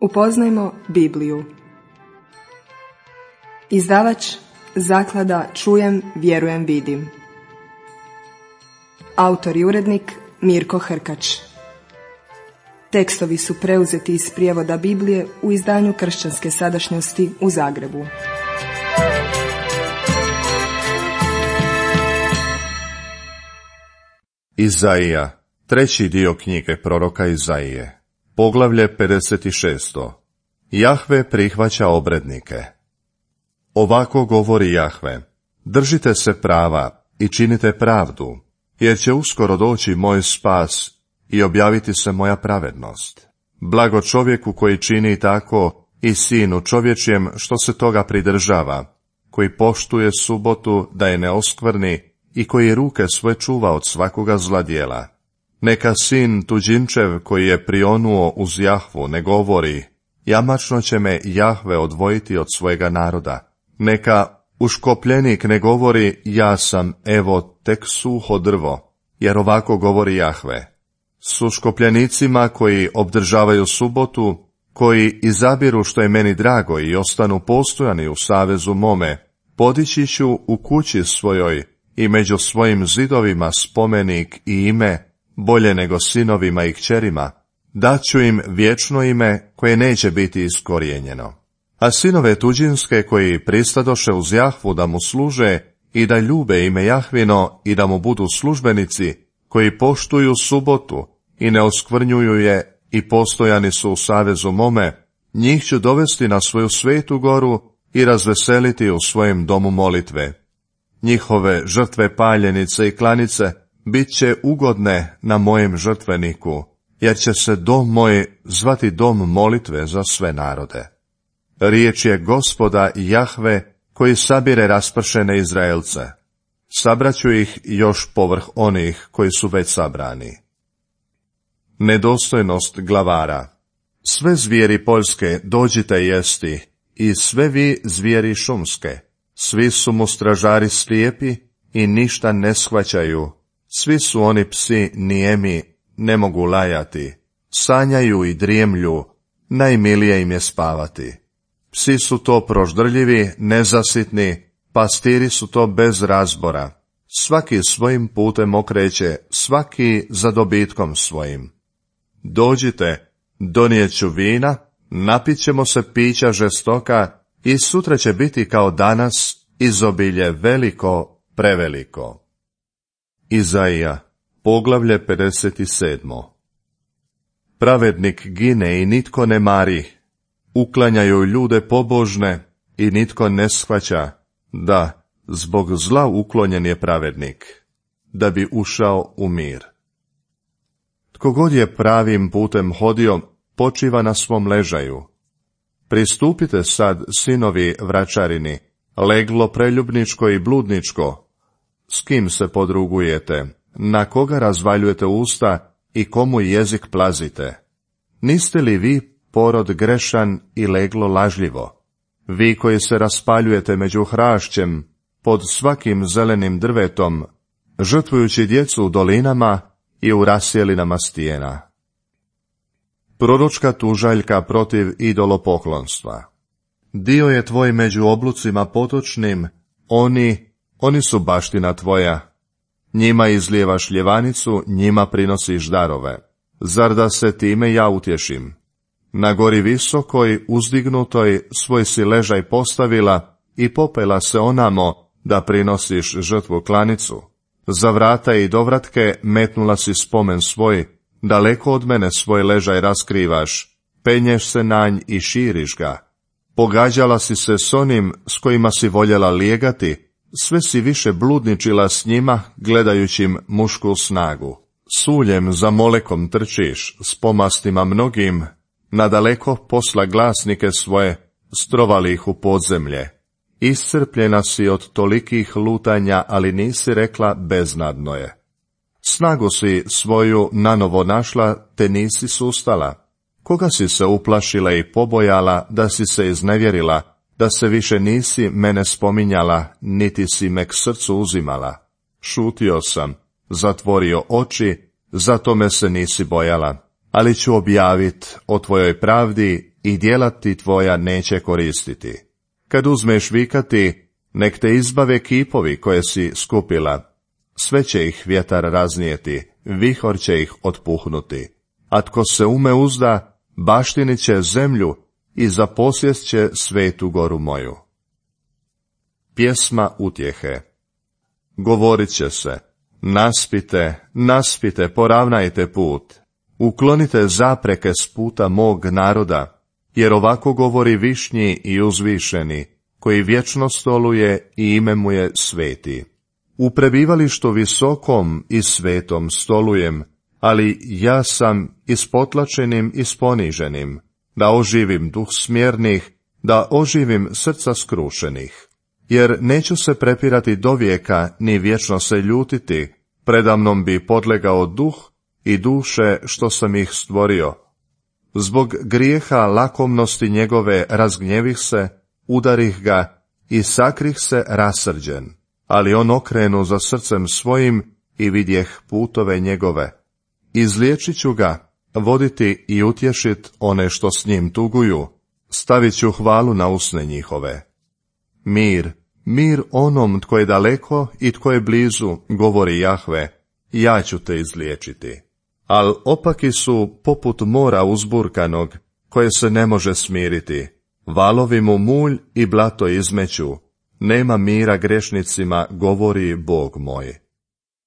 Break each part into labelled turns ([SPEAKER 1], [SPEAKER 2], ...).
[SPEAKER 1] Upoznajmo Bibliju. Izdavač Zaklada Čujem, vjerujem, vidim. Autor i urednik Mirko Hrkač. Tekstovi su preuzeti iz prijevoda Biblije u izdanju Kršćanske sadašnjosti u Zagrebu.
[SPEAKER 2] Izaija, treći dio knjige proroka Izaije, poglavlje 56. Jahve prihvaća obrednike. Ovako govori Jahve: držite se prava i činite pravdu, jer će uskoro doći moj spas i objaviti se moja pravednost. Blago čovjeku koji čini tako i sinu čovječjem što se toga pridržava, koji poštuje subotu da je ne oskvrni i koji ruke svoje čuva od svakoga zla djela. Neka sin tuđinčev koji je prionuo uz Jahvu ne govori: jamačno će me Jahve odvojiti od svojega naroda. Neka uškopljenik ne govori: ja sam, evo, tek suho drvo, jer ovako govori Jahve: s uškopljenicima koji obdržavaju subotu, koji izabiru što je meni drago i ostanu postojani u savezu mome, podići ću u kući svojoj i među svojim zidovima spomenik i ime bolje nego sinovima i kćerima, daću im vječno ime koje neće biti iskorijenjeno. A sinove tuđinske koji pristadoše uz Jahvu da mu služe i da ljube ime Jahvino i da mu budu službenici, koji poštuju subotu i ne oskvrnjuju je i postojani su u savezu mome, njih ću dovesti na svoju svetu goru i razveseliti u svojem domu molitve. Njihove žrtve paljenice i klanice bit će ugodne na mojem žrtveniku, jer će se dom moj zvati dom molitve za sve narode. Riječ je Gospoda Jahve koji sabire raspršene Izraelce. Sabraću ih još povrh onih koji su već sabrani. Nedostojnost glavara. Sve zvijeri poljske dođite jesti, i sve vi zvijeri šumske. Svi su mu stražari slijepi i ništa ne shvaćaju. Svi su oni psi nijemi, ne mogu lajati. Sanjaju i drijemlju, najmilije im je spavati. Psi su to proždrljivi, nezasitni, pastiri su to bez razbora. Svaki svojim putem okreće, svaki za dobitkom svojim. Dođite, donijet ću vina, napit ćemo se pića žestoka, i sutra će biti kao danas izobilje veliko, preveliko. Izaija, poglavlje 57. Pravednik gine i nitko ne mari, uklanjaju ljude pobožne i nitko ne shvaća, da zbog zla uklonjen je pravednik, da bi ušao u mir. Tko god je pravim putem hodio, počiva na svom ležaju. Pristupite sad, sinovi vračarini, leglo preljubničko i bludničko. S kim se podrugujete, na koga razvaljujete usta i komu jezik plazite? Niste li vi porod grešan i leglo lažljivo? Vi koji se raspaljujete među hrašćem, pod svakim zelenim drvetom, žrtvujući djecu u dolinama i u rasjelinama stijena. Proročka tužaljka protiv idolopoklonstva. Dio je tvoj među oblucima potočnim, oni su baština tvoja. Njima izlijevaš ljevanicu, njima prinosiš darove. Zar da se time ja utješim? Na gori visokoj, uzdignutoj, svoj si ležaj postavila i popela se onamo da prinosiš žrtvu klanicu. Za vrata i dovratke metnula si spomen svoj, daleko od mene svoj ležaj raskrivaš, penješ se na nj i širiš ga. Pogađala si se s onim s kojima si voljela lijegati, sve si više bludničila s njima, gledajući im mušku snagu. Suljem za molekom trčiš, s pomastima mnogim, nadaleko posla glasnike svoje, strovali ih u podzemlje. Iscrpljena si od tolikih lutanja, ali nisi rekla beznadno je. Snagu si svoju nanovo našla, te nisi sustala. Koga si se uplašila i pobojala, da si se iznevjerila, da se više nisi mene spominjala, niti si me k srcu uzimala? Šutio sam, zatvorio oči, zato me se nisi bojala. Ali ću objavit o tvojoj pravdi i djela ti tvoja neće koristiti. Kad uzmeš vikati, nek te izbave kipovi koje si skupila. Sve će ih vjetar raznijeti, vihor će ih otpuhnuti. A tko se ume uzda, baštinit će zemlju i zaposjest će svetu goru moju. Pjesma utjehe. Govorit će se, naspite, naspite, poravnajte put, uklonite zapreke s puta mog naroda, jer ovako govori višnji i uzvišeni, koji vječno stoluje i ime mu je sveti. U prebivalištu visokom i svetom stolujem, ali ja sam ispotlačenim i sponiženim, da oživim duh smjernih, da oživim srca skrušenih. Jer neću se prepirati do vijeka, ni vječno se ljutiti, predamnom bi podlegao duh i duše što sam ih stvorio. Zbog grijeha lakomnosti njegove razgnjevih se, udarih ga i sakrih se rasrđen, ali on okrenu za srcem svojim i vidjeh putove njegove. Izliječit ću ga, voditi i utješit one što s njim tuguju, stavit ću hvalu na usne njihove. Mir, mir onom tko je daleko i tko je blizu, govori Jahve, ja ću te izliječiti. Al opaki su poput mora uzburkanog, koje se ne može smiriti. Valovi mu mulj i blato izmeću, nema mira grešnicima, govori Bog moj.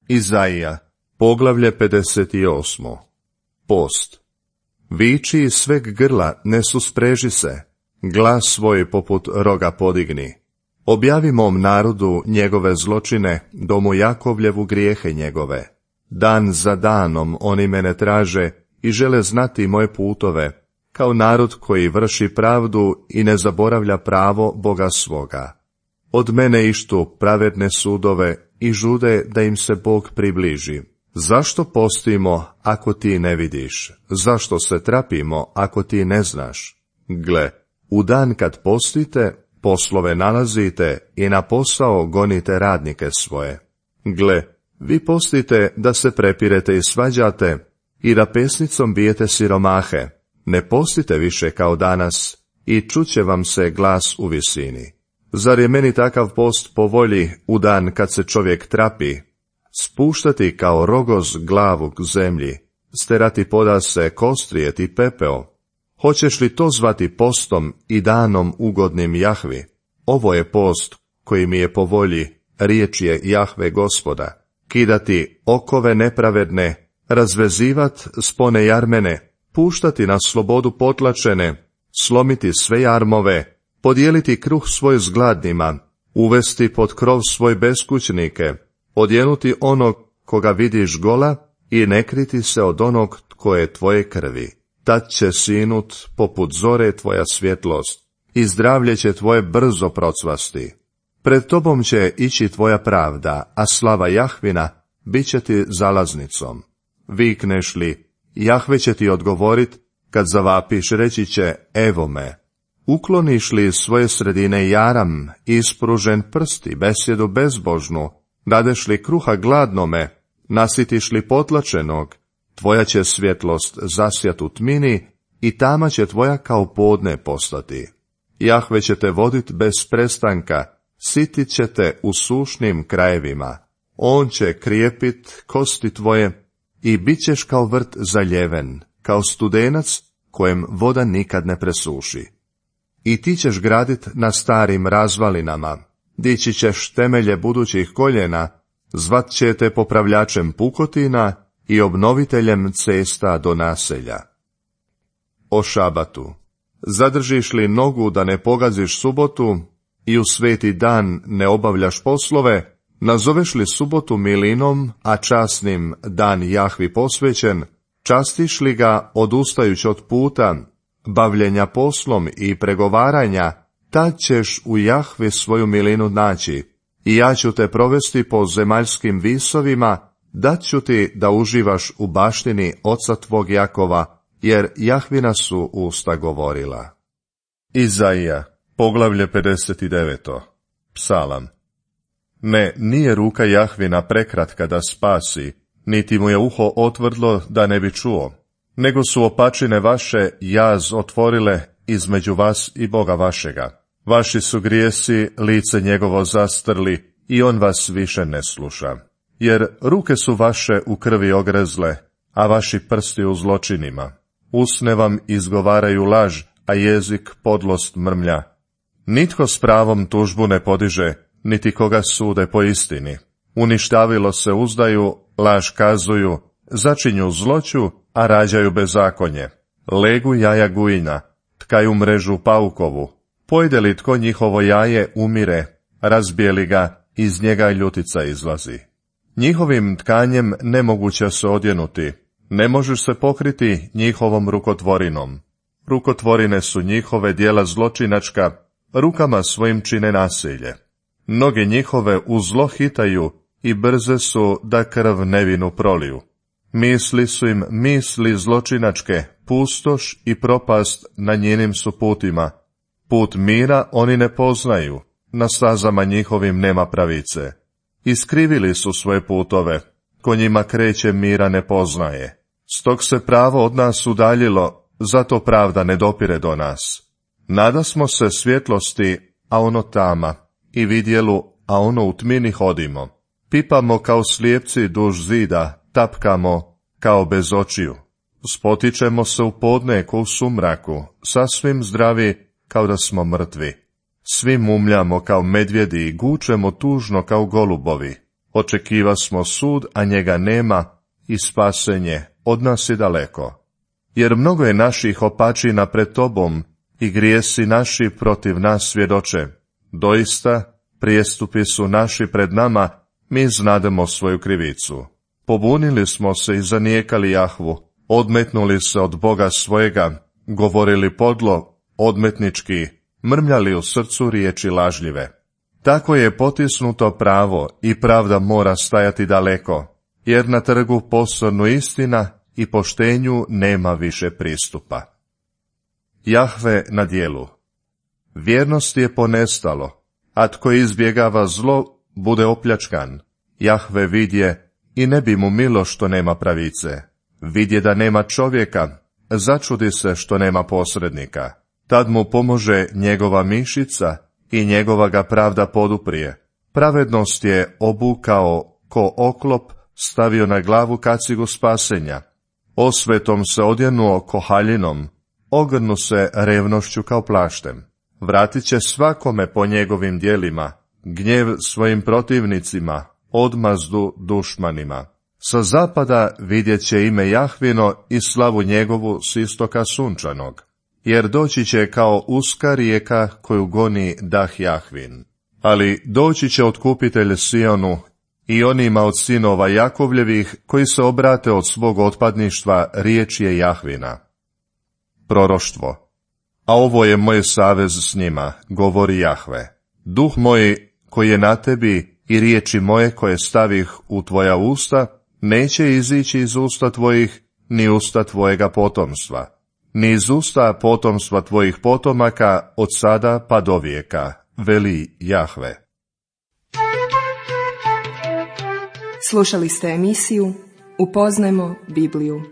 [SPEAKER 2] Izaija, poglavlje 58. Post. Viči iz sveg grla, ne suspreži se, glas svoj poput roga podigni. Objavi mom narodu njegove zločine, domu Jakovljevu grijehe njegove. Dan za danom oni mene traže i žele znati moje putove, kao narod koji vrši pravdu i ne zaboravlja pravo Boga svoga. Od mene ištu pravedne sudove i žude da im se Bog približi. Zašto postimo ako ti ne vidiš? Zašto se trapimo ako ti ne znaš? Gle, u dan kad postite, poslove nalazite i na posao gonite radnike svoje. Gle, vi postite da se prepirete i svađate i da pesnicom bijete siromahe. Ne postite više kao danas i čuće vam se glas u visini. Zar je meni takav post po volji u dan kad se čovjek trapi? Spuštati kao rogoz glavu k zemlji, sterati podase, kostrijeti pepeo. Hoćeš li to zvati postom i danom ugodnim Jahvi? Ovo je post koji mi je po volji, riječ je Jahve Gospoda. Kidati okove nepravedne, razvezivat spone jarmene, puštati na slobodu potlačene, slomiti sve jarmove, podijeliti kruh svoj s gladnima, uvesti pod krov svoj beskućnike, odjenuti onog koga vidiš gola i ne kriti se od onog tko je tvoje krvi. Tad će sinut poput zore tvoja svjetlost i zdravlje će tvoje brzo procvasti. Pred tobom će ići tvoja pravda, a slava Jahvina bit će ti zalaznicom. Vikneš li, Jahve će ti odgovorit, kad zavapiš reći će, evo me. Ukloniš li svoje sredine jaram, ispružen prsti, besjedu bezbožnu, dadeš li kruha gladnome, nasitiš li potlačenog, tvoja će svjetlost zasjat u tmini i tama će tvoja kao podne postati. Jahve će te vodit bez prestanka, sitit će te u sušnim krajevima. On će krijepit kosti tvoje i bit ćeš kao vrt zaljeven, kao studenac kojem voda nikad ne presuši. I ti ćeš gradit na starim razvalinama, dići ćeš temelje budućih koljena, zvat će te popravljačem pukotina i obnoviteljem cesta do naselja. O šabatu. Zadržiš li nogu da ne pogaziš subotu i u sveti dan ne obavljaš poslove, nazoveš li subotu milinom, a časnim dan Jahvi posvećen, častiš li ga odustajući od puta, bavljenja poslom i pregovaranja, tad ćeš u Jahvi svoju milinu naći, i ja ću te provesti po zemaljskim visovima, dat ću ti da uživaš u baštini oca tvog Jakova, jer Jahvina su usta govorila. Izaija, poglavlje 59. Psalam. Ne, nije ruka Jahvina prekratka da spasi, niti mu je uho otvrdlo da ne bi čuo, nego su opačine vaše jaz otvorile između vas i Boga vašega. Vaši su grijesi lice njegovo zastrli i on vas više ne sluša. Jer ruke su vaše u krvi ogrezle, a vaši prsti u zločinima. Usne vam izgovaraju laž, a jezik podlost mrmlja. Nitko s pravom tužbu ne podiže, niti koga sude po istini. Uništavilo se uzdaju, laž kazuju, začinju zloću, a rađaju bezakonje. Legu jaja gujina, tkaju mrežu paukovu. Pojde li tko njihovo jaje, umire, razbije li ga, iz njega ljutica izlazi. Njihovim tkanjem nemoguće se odjenuti, ne možeš se pokriti njihovom rukotvorinom. Rukotvorine su njihove djela zločinačka, rukama svojim čine nasilje. Noge njihove u zlo hitaju i brze su da krv nevinu proliju. Misli su im misli zločinačke, pustoš i propast na njenim su putima. Put mira oni ne poznaju, na stazama njihovim nema pravice. Iskrivili su svoje putove, ko njima kreće mira ne poznaje. Stog se pravo od nas udaljilo, zato pravda ne dopire do nas. Nadasmo se svjetlosti, a ono tama, i vidjelu, a ono u tmini hodimo. Pipamo kao slijepci duž zida, tapkamo kao bez očiju. Spotičemo se u podne ko u sumraku, sasvim zdravi kao da smo mrtvi. Svi mumljamo kao medvjedi i gučemo tužno kao golubovi. Očekiva smo sud, a njega nema, i spasenje od nas je daleko. Jer mnogo je naših opačina pred tobom, i grijesi naši protiv nas svjedoče. Doista, prijestupi su naši pred nama, mi znademo svoju krivicu. Pobunili smo se i zanijekali Jahvu, odmetnuli se od Boga svojega, govorili podlo, odmetnički, mrmljali u srcu riječi lažljive. Tako je potisnuto pravo i pravda mora stajati daleko, jer na trgu posrnu istina i poštenju nema više pristupa. Jahve na djelu. Vjernost je ponestalo, a tko izbjegava zlo, bude opljačkan. Jahve vidje i ne bi mu milo što nema pravice. Vidje da nema čovjeka, začudi se što nema posrednika. Tad mu pomože njegova mišica i njegova ga pravda poduprije. Pravednost je obukao ko oklop, stavio na glavu kacigu spasenja. Osvetom se odjenuo ko haljinom, ogrnu se revnošću kao plaštem. Vratit će svakome po njegovim djelima, gnjev svojim protivnicima, odmazdu dušmanima. Sa zapada vidjet će ime Jahvino i slavu njegovu s istoka sunčanog, jer doći će kao uska rijeka koju goni dah Jahvin. Ali doći će otkupitelj Sionu i onima od sinova Jakovljevih koji se obrate od svog otpadništva, riječ je Jahvina. Proroštvo. A ovo je moj savez s njima, govori Jahve. Duh moj koji je na tebi i riječi moje koje stavih u tvoja usta, neće izići iz usta tvojih, ni usta tvojega potomstva, ni iz usta potomstva tvojih potomaka od sada pa do vijeka, veli Jahve.
[SPEAKER 1] Slušali ste emisiju Upoznajmo Bibliju.